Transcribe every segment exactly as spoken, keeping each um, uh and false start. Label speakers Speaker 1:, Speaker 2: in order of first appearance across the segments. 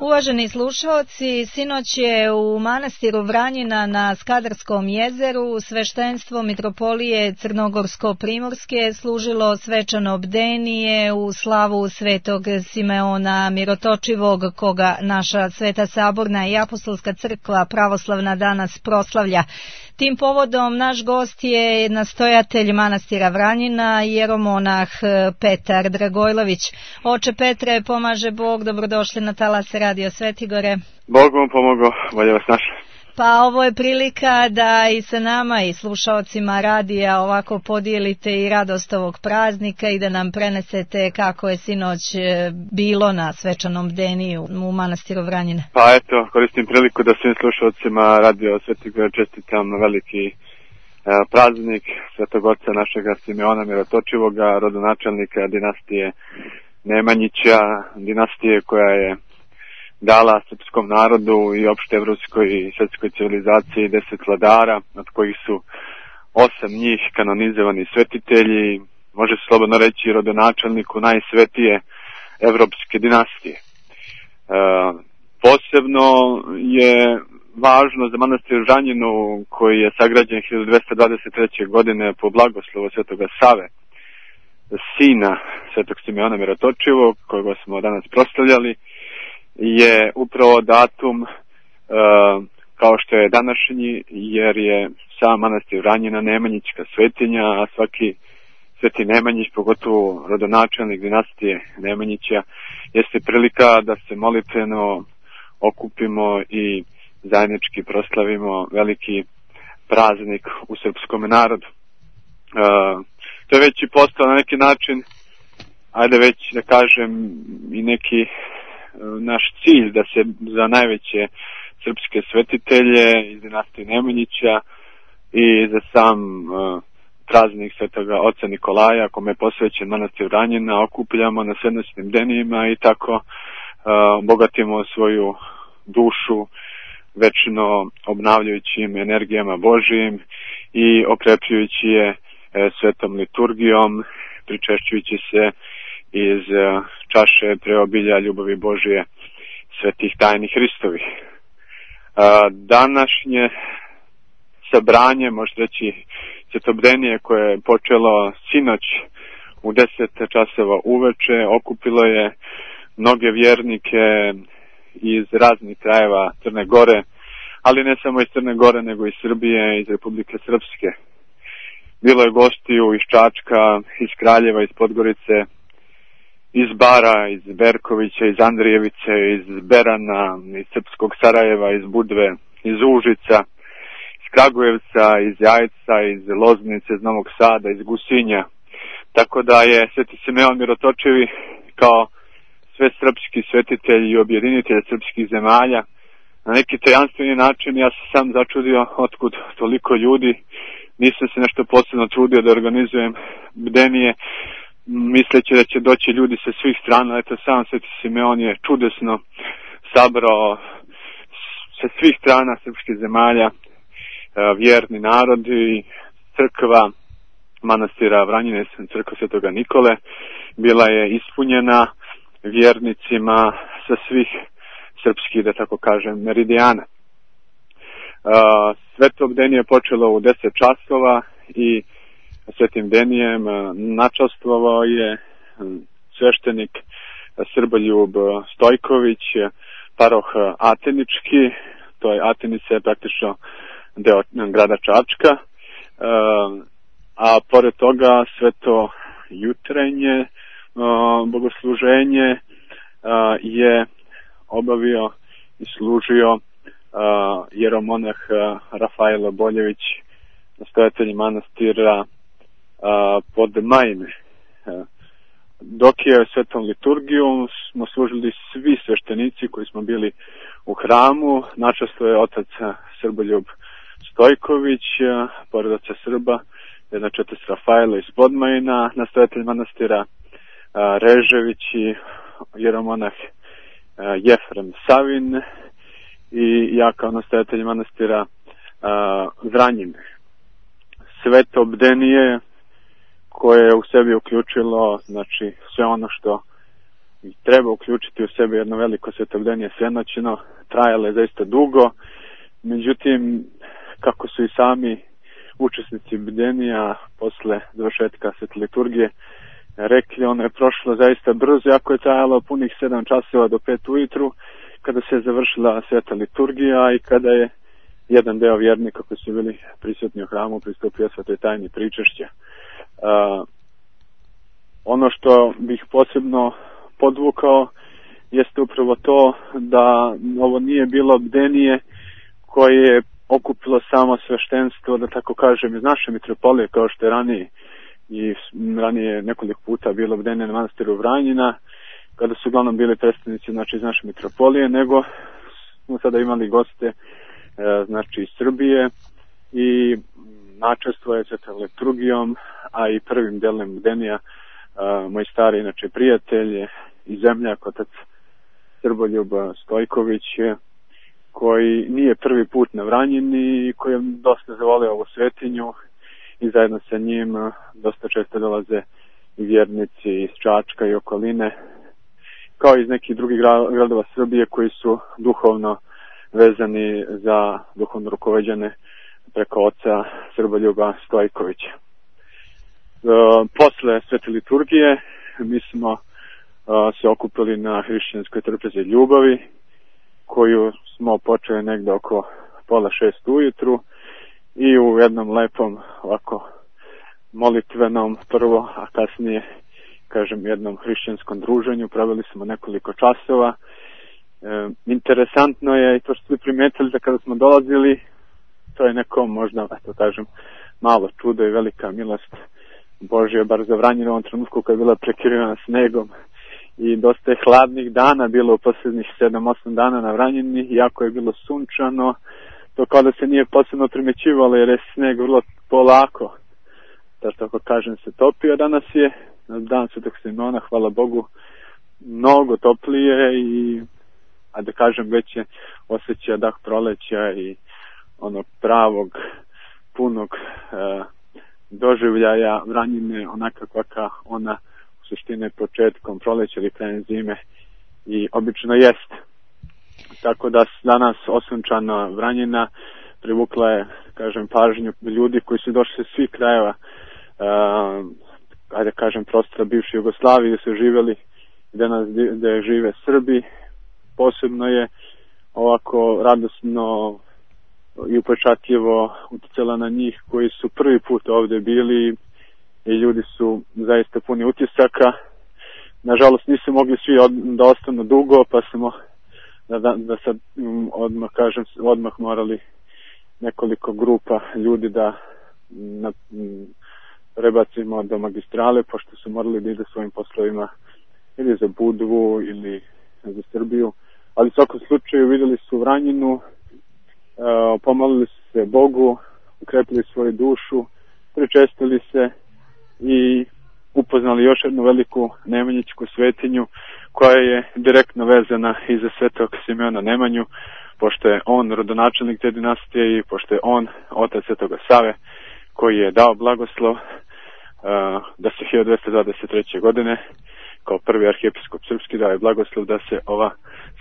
Speaker 1: Uvaženi slušaoci, sinoć je u manastiru Vranjina na Skadarskom jezeru sveštenstvo Mitropolije Crnogorsko-Primorske služilo svečano bdenije u slavu svetog Simeona Mirotočivog, koga naša Sveta Saborna i Apostolska crkva pravoslavna danas proslavlja. Tim povodom naš gost je nastojatelj manastira Vranjina, jeromonah Petar Dragojlović. Oče Petre, pomaže Bog, dobrodošli na talas Radio Svetigore.
Speaker 2: Bog vam pomogao, bolje vas našli.
Speaker 1: Pa ovo je prilika da i sa nama i slušaocima radija ovako podijelite i radost ovog praznika i da nam prenesete kako je sinoć bilo na svečanom bdeniju u manastiru Vranjina.
Speaker 2: Pa eto, koristim priliku da svim slušaocima Radio Svetigore čestitam veliki e, praznik svetog oca našega Simeona Mirotočivoga, rodonačelnika dinastije Nemanjića, dinastije koja je dala srpskom narodu i opšte evropskoj i svjetskoj civilizaciji deset vladara, od kojih su osam njih kanonizovani svetitelji, može se slobodno reći rodonačelniku najsvetije evropske dinastije. E, posebno je važno za manastir Vranjinu, koji je sagrađen hiljadu dvesta dvadeset treće. godine po blagoslovu svetoga Save, sina svetog Simeona Mirotočivog, kojeg smo danas proslavljali, je upravo datum e, kao što je današnji, jer je sam manastir Vranjina nemanjićka svetinja, a svaki sveti Nemanjić, pogotovo rodonačelnik dinastije Nemanjića, jeste prilika da se molitveno okupimo i zajednički proslavimo veliki praznik u srpskom narodu. E, to je već i postao na neki način, ajde već da kažem, i neki naš cilj da se za najveće srpske svetitelje iz dinastije Nemanjića i za sam uh, praznik svetoga oca Nikolaja, kome je posvećen manastir Vranjina, okupljamo na svednostnim bdenijima i tako uh, bogatimo svoju dušu večno obnavljajućim energijama Božijim i okrepljujući je uh, svetom liturgijom, pričešćujući se iz čaše preobilja ljubavi Božije svetih tajni Hristovih. Današnje sabranje, možete reći svetobdenije, koje je počelo sinoć u deset časova uveče, okupilo je mnoge vjernike iz raznih krajeva Crne Gore, ali ne samo iz Crne Gore, nego iz Srbije, iz Republike Srpske. Bilo je gostiju iz Čačka, iz Kraljeva, iz Podgorice, iz Bara, iz Berkovića, iz Andrijevice, iz Berana, iz Srpskog Sarajeva, iz Budve, iz Užica, iz Kragujevca, iz Jajca, iz Loznice, iz Novog Sada, iz Gusinja. Tako da je sveti Simeon Mirotočivi kao sve srpski svetitelj i objedinitelj srpskih zemalja na neki tajanstveni način. Ja sam sam začudio otkud toliko ljudi. Nisam se nešto posebno trudio da organizujem bdenije, misleći da će doći ljudi sa svih strana. Eto, sam sveti Simeon je čudesno sabrao sa svih strana srpskih zemalja vjerni narod i crkva manastira Vranjine, crkva svetoga Nikole, bila je ispunjena vjernicima sa svih srpskih, da tako kažem, meridijana. Sveto bdenije je počelo u deset časova i svetim bdenijem načastvovao je sveštenik Srboljub Stojković, paroh Atenički, to je Atenica je praktično deo grada Čačka, a pored toga sveto jutrenje bogosluženje je obavio i služio jeromonah Rafael Boljević, nastojatelj manastira pod Majne. Dok je svetom liturgijom smo služili svi sveštenici koji smo bili u hramu. Načasto je otac Srboljub Stojković, pored oca Srba, znači otac Rafaela iz Podmajna, nastojatelj manastira Režević i jeromonah Jefrem Savin i ja kao nastojatelj manastira Vranjin. Sveto bdenije koje je u sebi uključilo, znači, sve ono što treba uključiti u sebe jedno veliko svetobdenje svenoćno, trajalo je zaista dugo, međutim, kako su i sami učesnici bdenija posle završetka svete liturgije rekli, ono je prošlo zaista brzo, jako je trajalo punih sedam časova do pet ujutru, kada se je završila sveta liturgija i kada je jedan deo vjernika koji su bili prisutni u hramu pristupio svetoj tajni pričešća. Uh, ono što bih posebno podvukao jeste upravo to da ovo nije bilo bdenije koje je okupilo samo sveštenstvo, da tako kažem, iz naše mitropolije, kao što je ranije i ranije nekoliko puta bilo bdenje na manastiru Vranjina, kada su uglavnom bili predstavnici, znači, iz naše mitropolije, nego smo sada imali goste, znači, iz Srbije i načestvuje se liturgijom, a i prvim delom bdenija moj stari, znači, prijatelj i zemljak, otac Srboljub Stojković, koji nije prvi put na Vranjini i koji je dosta zavolio ovu svetinju i zajedno sa njim dosta često dolaze i vjernici iz Čačka i okoline, kao i iz nekih drugih gradova Srbije koji su duhovno vezani za duhovno rukovođene preko oca Srboljuba Stojkovića. E, posle svete liturgije mi smo e, se okupili na hrišćanskoj trpezi ljubavi, koju smo počeli negde oko pola šest ujutru i u jednom lepom ovako molitvenom prvo, a kasnije, kažem, jednom hrišćanskom druženju proveli smo nekoliko časova. E, interesantno je i to što ste primetili da kada smo dolazili, to je neko možda, eto kažem, malo čudo i velika milost Božja, bar za Vranjinu u ovom trenutku koja je bila prekirivana snegom i dosta je hladnih dana bilo u posljednjih sedam osam dana na Vranjini, iako je bilo sunčano, to kao da se nije posebno primećivalo jer je sneg vrlo polako, da tako kažem, se topio. Danas je dan Svetog Simona, hvala Bogu, mnogo toplije i, a da kažem, već je osjeća dah proleća i onog pravog, punog e, doživljaja Vranjine, onaka kakva ona u suštini početkom proleća ili krajem zime i obično jest. Tako da danas osunčana Vranjina privukla je, kažem, pažnju ljudi koji su došli sa svih krajeva, uh, ajde kažem, prostora bivše Jugoslavije, gdje su živjeli, danas gdje žive Srbi. Posebno je ovako radosno i upečatljivo utjecala na njih koji su prvi put ovdje bili i ljudi su zaista puni utisaka. Nažalost nisu mogli svi od, da ostanu dugo, pa smo da, da, da sad odmah kažem odmah morali nekoliko grupa ljudi da na, prebacimo do magistrale, pošto su morali da ide svojim poslovima ili za Budvu ili za Srbiju. Ali u svakom slučaju vidjeli su Vranjinu, uh, pomolili su se Bogu, ukrepili svoju dušu, pričestili se i upoznali još jednu veliku nemanjićku svetinju koja je direktno vezana i za svetog Simeona Nemanju, pošto je on rodonačelnik te dinastije i pošto je on otac svetoga Save koji je dao blagoslov uh, da se hiljadu dvesta dvadeset treće. godine kao prvi arhijepiskop srpski dao je blagoslov da se ova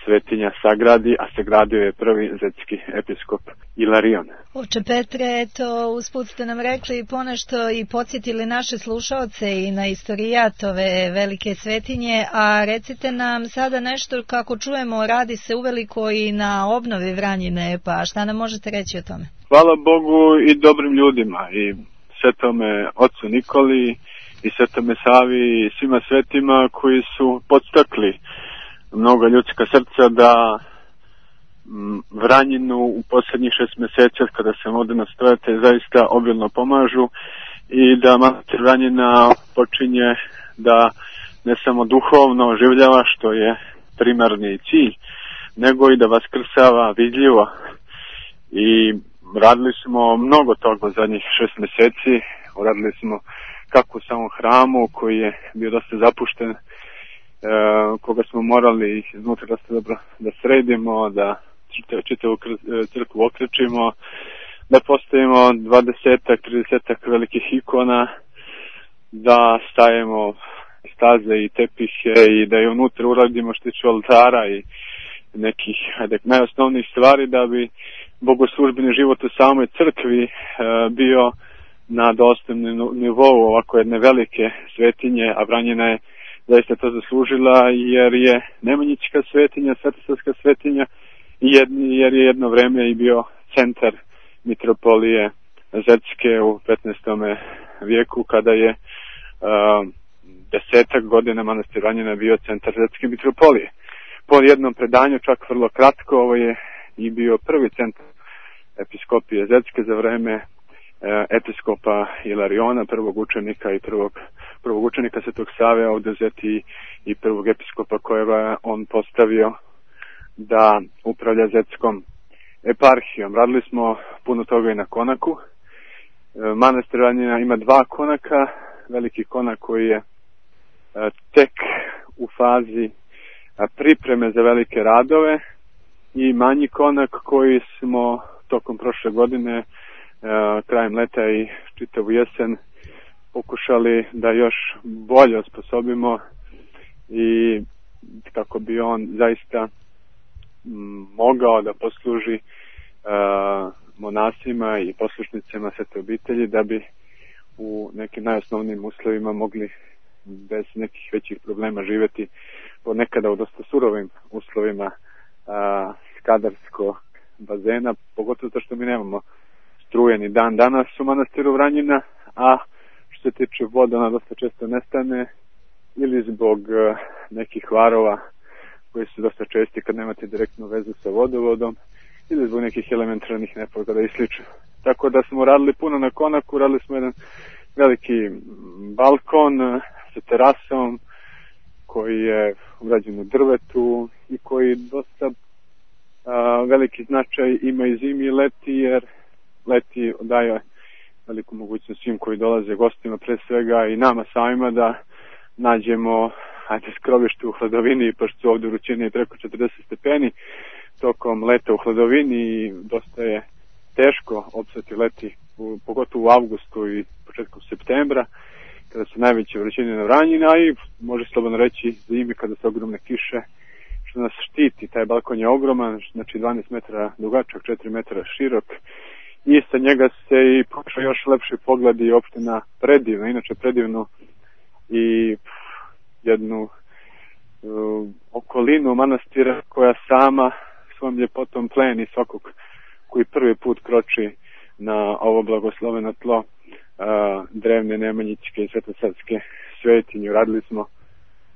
Speaker 2: svetinja sagradi, a sagradio je prvi zetski episkop Ilarion.
Speaker 1: Oče Petre, eto, usput ste nam rekli ponešto i podsjetili naše slušaoce i na istorijat ove velike svetinje, a recite nam sada nešto, kako čujemo, radi se uveliko i na obnovi Vranjine, pa šta nam možete reći o tome?
Speaker 2: Hvala Bogu i dobrim ljudima, i svetome ocu Nikoli, i svetome Savi, i svima svetima koji su podstakli mnogo ljudska srca da Vranjinu u posljednjih šest mjeseci kada se ovdje nastojate zaista obilno pomažu i da manastir Vranjina počinje da ne samo duhovno oživljava, što je primarni cilj, nego i da vaskrsava vidljivo. I radili smo mnogo toga u zadnjih šest mjeseci, uradili smo kako u samom hramu koji je bio dosta zapušten, e, koga smo morali iznutra dosta dobro da sredimo, da čitavu crkvu okrećimo, da postavimo dvadesetak, tridesetak velikih ikona, da stavimo staze i tepihe i da je unutra uradimo što tiče oltara i nekih ajde, najosnovnijih stvari da bi bogoslužbeni život u samoj crkvi e, bio na dostojnom nivou ovako jedne velike svetinje, a Vranjina je zaista to zaslužila jer je Nemanjićka svetinja, Svetosavska svetinja jer je jedno vreme i bio centar mitropolije Zetske u petnaestom vijeku kada je uh, desetak godina manastir Vranjina bio centar Zetske mitropolije. Po jednom predanju, čak vrlo kratko, ovo je i bio prvi centar episkopije Zetske za vreme uh, episkopa Ilariona, prvog učenika i prvog, prvog učenika Svetog Save ovdje Zeti i prvog episkopa kojega on postavio da upravlja Zetskom eparhijom. Radili smo puno toga i na konaku. Manastir Vranjina ima dva konaka, veliki konak koji je tek u fazi pripreme za velike radove i manji konak koji smo tokom prošle godine, krajem leta i čitavu jesen pokušali da još bolje osposobimo i kako bi on zaista mogao da posluži uh, monasima i poslušnicima Svete obitelji da bi u nekim najosnovnijim uslovima mogli bez nekih većih problema živjeti ponekada u dosta surovim uslovima uh, skadarskog bazena, pogotovo to što mi nemamo struje ni dan danas u manastiru Vranjina, a što se tiče voda ona dosta često nestane ili zbog uh, nekih varova koji su dosta česti kad nemate direktnu vezu sa vodovodom ili zbog nekih elementarnih nepogoda i slično. Tako da smo radili puno na konaku, radili smo jedan veliki balkon sa terasom koji je urađen u drvetu i koji dosta a, veliki značaj ima i zimi i leti, jer leti daje veliku mogućnost svim koji dolaze gostima pre svega i nama samima da nađemo ajde skrovište u hladovini, pošto su ovdje vrućine preko četrdeset stepeni tokom leta u hladovini i dosta je teško opstati leti, u, pogotovo u avgustu i početkom septembra, kada su najveće vrućine na Vranjina i može slobodno reći zimi kada su ogromne kiše, što nas štiti. Taj balkon je ogroman, znači dvanaest metara dugačak, četiri metra širok i sa njega se i počeo još lepši pogled i uopšte na predivno, inače predivno i jednu uh, okolinu manastira koja sama svojom ljepotom pleni svakog koji prvi put kroči na ovo blagosloveno tlo uh, drevne Nemanjićke i Svetosavske svetinje. Radili smo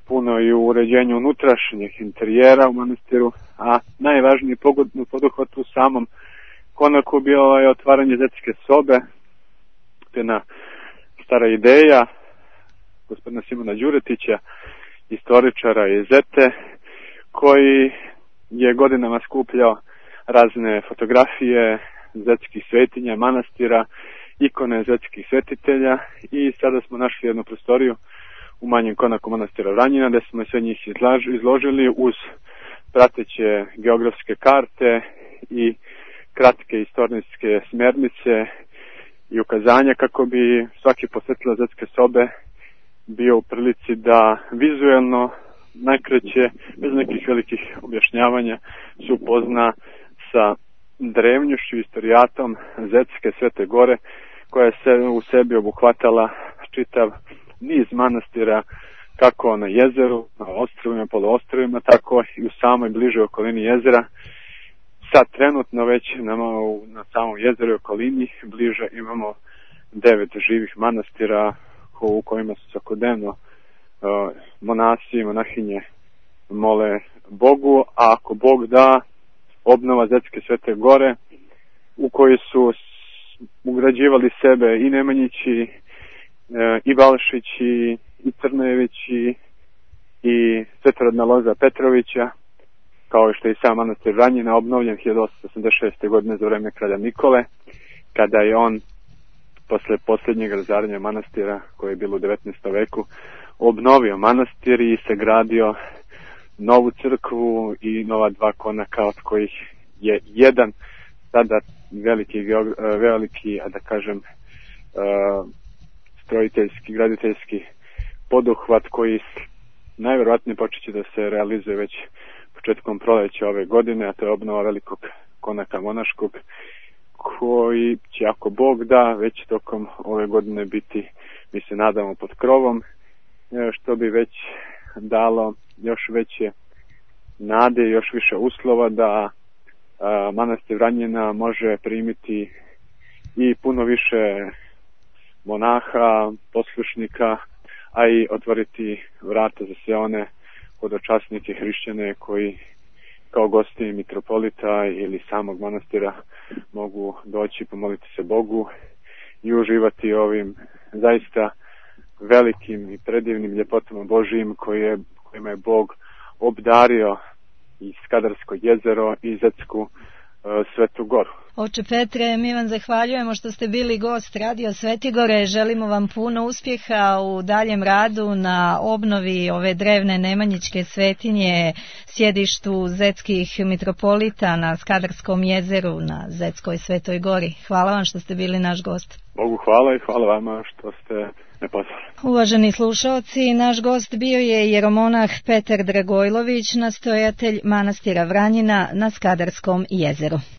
Speaker 2: puno i u uređenju unutrašnjih interijera u manastiru, a najvažniji poduhvat u samom konaku bio je otvaranje Zetske sobe. To je jedna stara ideja gospodina Simona Đuretića, istoričara iz Zete, koji je godinama skupljao razne fotografije zetskih svetinja, manastira, ikone zetskih svetitelja i sada smo našli jednu prostoriju u manjem konaku manastira Vranjina gdje smo sve njih izložili uz prateće geografske karte i kratke istorijske smjernice i ukazanja kako bi svaki posjetilac Zetske sobe bio u prilici da vizuelno najkraće, bez nekih velikih objašnjavanja, se upozna sa drevnjošću, istorijatom Zetske Svete Gore, koja se u sebi obuhvatala čitav niz manastira kako na jezeru, na ostrvima, poluostrvima, tako i u samoj bližoj okolini jezera. Sad trenutno već na, na samom jezeru i okolini bliže imamo devet živih manastira u kojima su svakodnevno uh, monasi i monahinje mole Bogu, a ako Bog da, obnova Zetske Svete Gore u kojoj su ugrađivali sebe i Nemanjići, uh, i Balšići, i Crnojevići, i svetorodna loza Petrovića, kao što je i sam manastir Vranjina obnovljen hiljadu osamsto osamdeset šeste. godine za vreme kralja Nikole, kada je on posle posljednjeg razaranja manastira, koje je bilo u devetnaestom veku, obnovio manastir i sagradio novu crkvu i nova dva konaka, od kojih je jedan sada veliki, veliki, a da kažem, strojiteljski, graditeljski poduhvat koji najvjerojatnije počeće da se realizuje već početkom proleća ove godine, a to je obnova velikog konaka monaškog, koji će, ako Bog da, već tokom ove godine biti, mi se nadamo, pod krovom, što bi već dalo još veće nade i još više uslova da a, manastir Vranjina može primiti i puno više monaha, poslušnika, a i otvoriti vrata za sve one hodočasnike hrišćane koji kao gosti mitropolita ili samog manastira mogu doći, pomoliti se Bogu i uživati ovim zaista velikim i predivnim ljepotama Božijim koje, kojima je Bog obdario i Skadarsko jezero i Zetsku uh, Svetu Goru.
Speaker 1: Oče Petre, mi vam zahvaljujemo što ste bili gost Radio Svetigore. Želimo vam puno uspjeha u daljem radu na obnovi ove drevne Nemanjićke svetinje, sjedištu zetskih mitropolita na Skadarskom jezeru na Zetskoj Svetoj Gori. Hvala vam što ste bili naš gost.
Speaker 2: Bogu hvala i hvala vama što ste me pozvali.
Speaker 1: Uvaženi slušaoci, naš gost bio je jeromonah Petar Dragojlović, nastojatelj manastira Vranjina na Skadarskom jezeru.